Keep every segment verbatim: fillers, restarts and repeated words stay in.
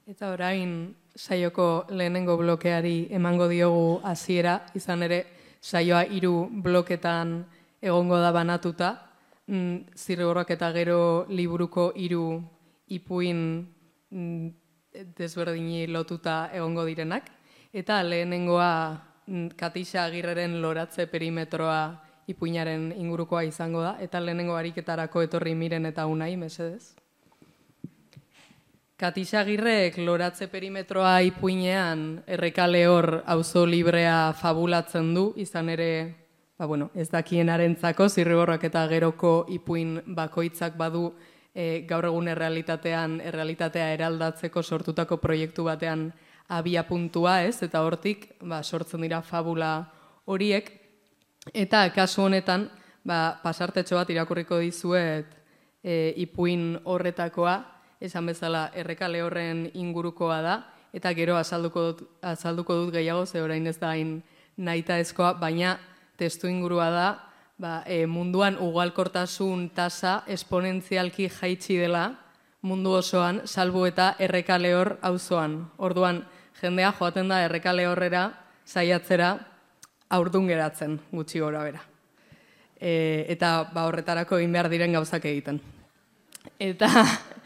Eta orain saioko lehenengo blokeari emango diogu hasiera, izan ere saioa hiru bloketan egongo da banatuta, Zirriborroak eta Gero liburuko hiru ipuin desberdini lotuta egongo direnak, eta lehenengoa Katixa Agirreren Loratze perimetroa ipuinaren ingurukoa izango da, eta lehenengo ariketarako etorri Miren eta Unai, mesedez. Katixa Agirrek Loratze perimetroa ipuinean Erreka Lehor auzo librea fabulatzen du, izan ere, ba, bueno, ez dakienarentzako, Zirriborroak eta Geroko ipuin bakoitzak badu e, gaur egun errealitatean, errealitatea eraldatzeko sortutako proiektu batean abia puntua, ez? Eta hortik ba, sortzen dira fabula horiek. Eta kasu honetan, ba, pasartetxo bat irakurriko dizuet e, ipuin horretakoa, esan bezala Erreka Lehorren ingurukoa da, eta gero azalduko dut, azalduko dut gehiago, ze orain ez da hain nahitaezkoa, baina testu ingurua da, ba, e, munduan ugalkortasun tasa esponentzialki jaitsi dela mundu osoan, salbu eta Erreka Lehor auzoan. Orduan, jendea joaten da Erreka Lehorrera saiatzera haurdun geratzen, gutxi gora bera. E, eta ba, horretarako egin behar diren gauzak egiten. Eta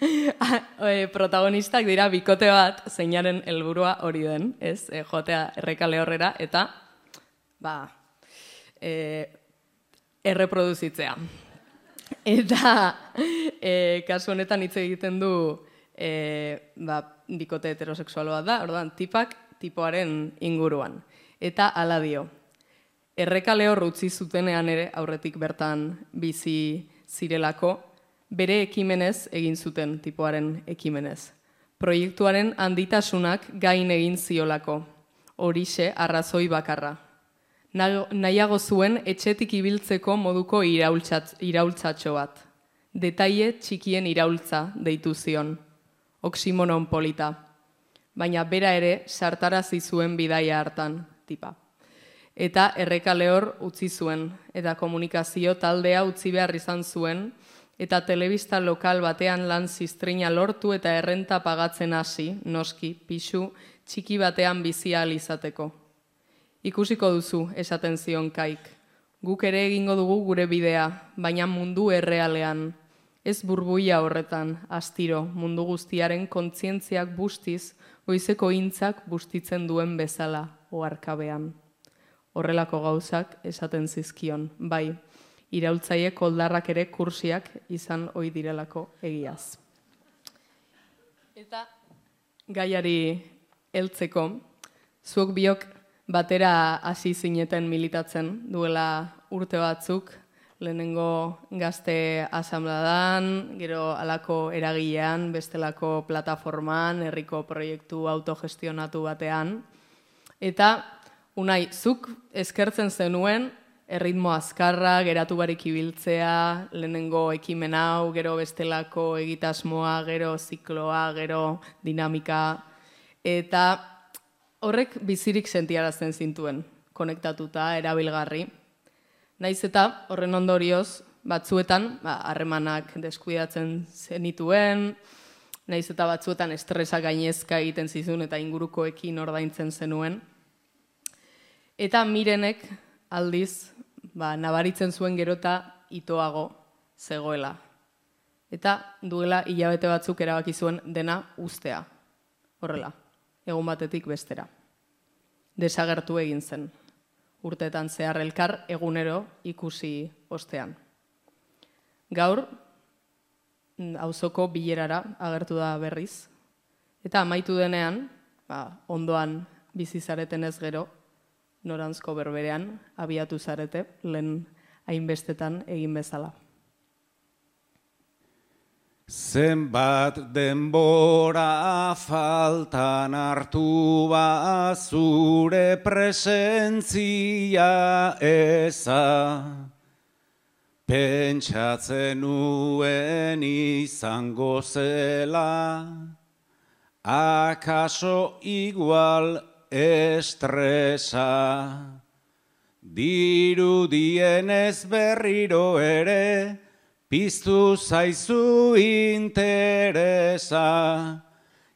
e, protagonistak dira bikote bat zeinaren helburua hori den, ez? E, joatea Erreka Lehorrera eta ba, e, erreproduzitzea. Eta e, kasu honetan hitz egiten du e, ba, bikote heterosexual bat da, orduan tipak tipoaren inguruan. Eta hala dio, Erreka Lehor utzi zutenean ere aurretik bertan bizi zirelako, bere ekimenez egin zuten tipoaren ekimenez. Proiektuaren handitasunak gain egin ziolako, horixe arrazoi bakarra. Nahiago zuen etxetik ibiltzeko moduko iraultzatxo bat. Detaile txikien iraultza deitu zion. Oximonon polita. Baina bera ere sartarazi zuen bidaia hartan, tipa. Eta Erreka Lehor utzi zuen, eta komunikazio taldea utzi behar izan zuen, eta telebista lokal batean lan ziztrina lortu eta errenta pagatzen hasi, noski, pisu, txiki batean bizi ahal izateko. Ikusiko duzu, esaten zion Kaik. Guk ere egingo dugu gure bidea, baina mundu errealean. Ez burbuia horretan, astiro, mundu guztiaren kontzientziak bustiz, goizeko intzak bustitzen duen bezala, oharkabean. Horrelako gauzak esaten zizkion, bai, iraultzaile koldarrak ere kursiak izan ohi direlako egiaz. Eta gaiari heltzeko, zuok biok batera hasi zineten militatzen duela urte batzuk, lehenengo gazte asanbladan, gero halako eragilean, bestelako plataforman, herriko proiektu autogestionatu batean. Eta, Unai, zuk eskertzen zenuen, erritmo azkarra, geratu barik ibiltzea, lehenengo ekimen hau, gero bestelako egitasmoa, gero zikloa, gero dinamika, eta horrek bizirik sentiarazten zintuen, konektatuta, erabilgarri. Naiz eta horren ondorioz, batzuetan, harremanak ba, deskuidatzen zenituen, naiz eta batzuetan estresa gainezka egiten zizun eta ingurukoekin ordaintzen zenuen. Eta Mirenek aldiz, ba, nabaritzen zuen gerota itoago zegoela. Eta duela hilabete batzuk erabaki zuen dena ustea. Horrela, egun batetik bestera. Desagertu egin zen. Urteetan zehar elkar egunero ikusi ostean. Gaur, auzoko bilerara agertu da berriz. Eta amaitu denean, ba, ondoan bizi zareten ez gero, noranzko berberean abiatu zarete, lehen hainbestetan egin bezala. Zenbat denbora faltan hartu ba zure presentzia eza, pentsatzen nuen izango zela, akaso igual estresa, dirudienez berriro ere, piztu zaizu interesa,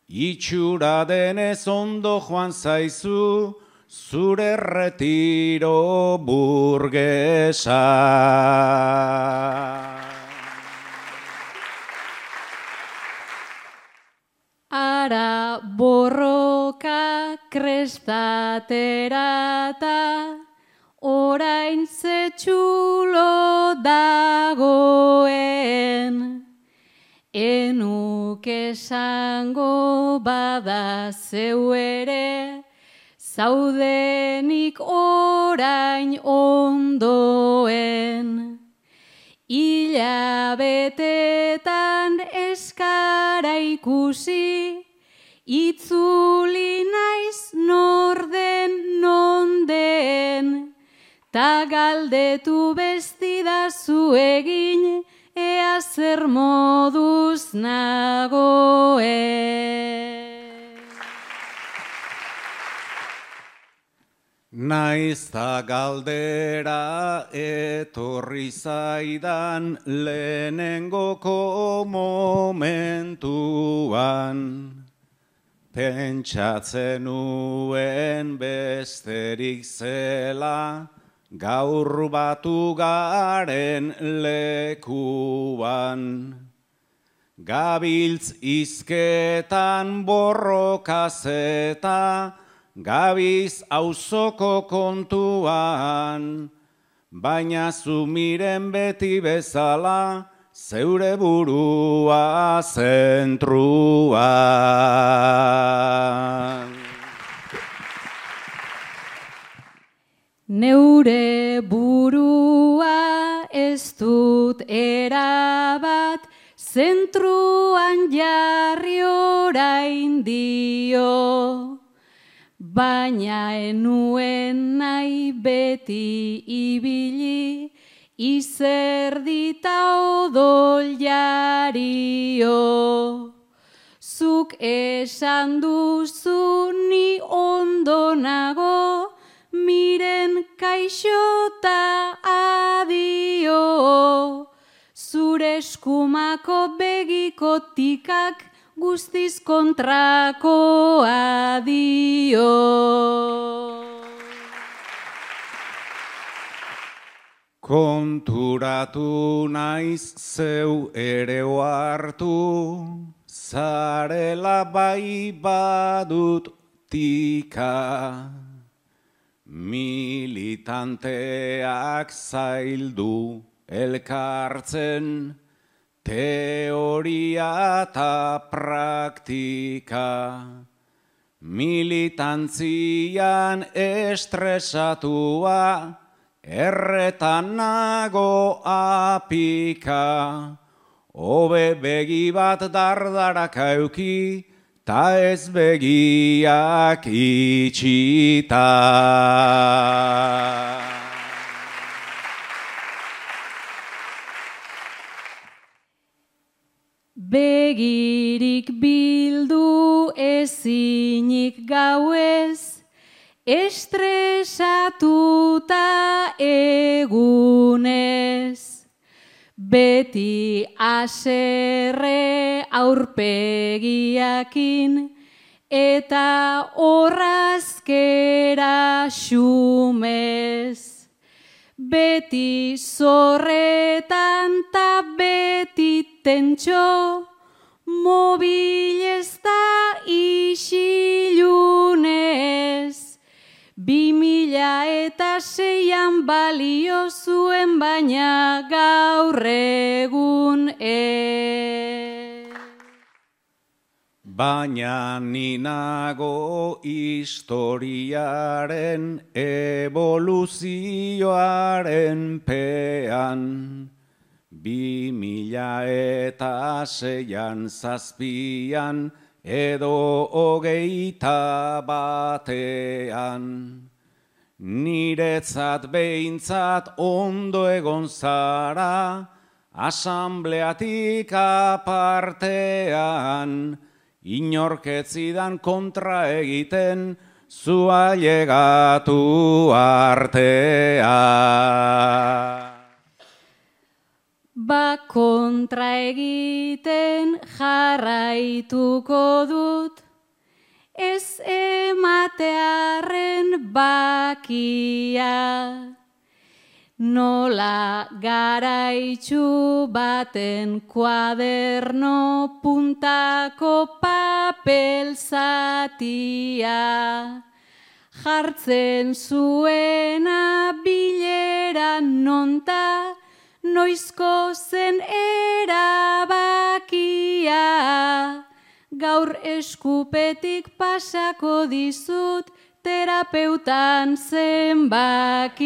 Itxura denez ondo joan zaizu, zure retiro burgesa. Ara borroka krestaterata, orain zetxulo dagoen. Enuk esango bada zeu ere, zaudenik orain ondoen. Hilabetetan eskara ikusi, itzuli naiz norden nonden, ta galdetu bestidazu egin, ea zer moduz nagoen. Naiz ta galdera etorri zaidan lehenengoko momentuan, pentsatzen nuen besterik zela, gaur batu garen lekuan. Gabiltz izketan borrokazeta, gabiz auzoko kontuan, baina zu miren beti bezala, zeure burua zentruan. Neure burua ez dut erabat, zentruan jarri orain dio. Baina enuen nahi beti ibili, izerdita odol jario. Zuk esan duzu ni ondo nago, miren kaixota adio. Zure eskumako begiko tikak, guztiz kontrako adio. Konturatu naiz zeu ere ohartu, zarela bai badut tika. Militanteak zaildu elkartzen, teoria eta praktika. Militantzian estresatua, erretan nago apika. Hobe begi bat dardarak auki, ta ez begiak itxita. Begirik bildu ezinik gauez, estresatuta egunez. Beti aserre aurpegiakin, eta orrazkera xumez. Beti zorretan ta beti tentxo, mobilez da isilunez. Bi mila eta seian balio zuen, baina gaur egun ez. Baina ni nago historiaren evoluzioaren pean. Bi mila eta seian zazpian edo hogeita batean. Niretzat behintzat ondo egon zara, asambleatik apartean, inorketzidan kontra egiten, zua llegatu artea. Ba kontra egiten jarraituko dut, ematearen bakia. Nola garaitxu baten kuaderno puntako papel zatia, jartzen zuena bilera nonta, noizko zen erabakia. Gaur eskupetik pasako dizut terapeutan zenbakia.